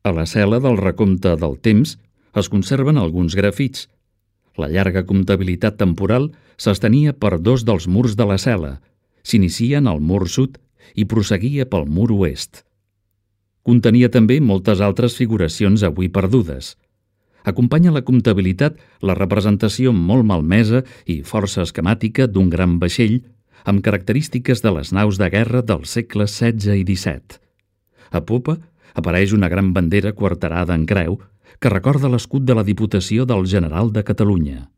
A la cel·la del recompte del temps es conserven alguns grafits. La llarga comptabilitat temporal s'estenia per 2 dels murs de la cel·la, s'inicia en el mur sud i prosseguia pel mur oest. Contenia també moltes altres figuracions avui perdudes. Acompanya la comptabilitat la representació molt malmesa i força esquemàtica d'un gran vaixell amb característiques de les naus de guerra dels segles XVI i XVII. A popa apareix una gran bandera quarterada en creu que recorda l'escut de la Diputació del General de Catalunya.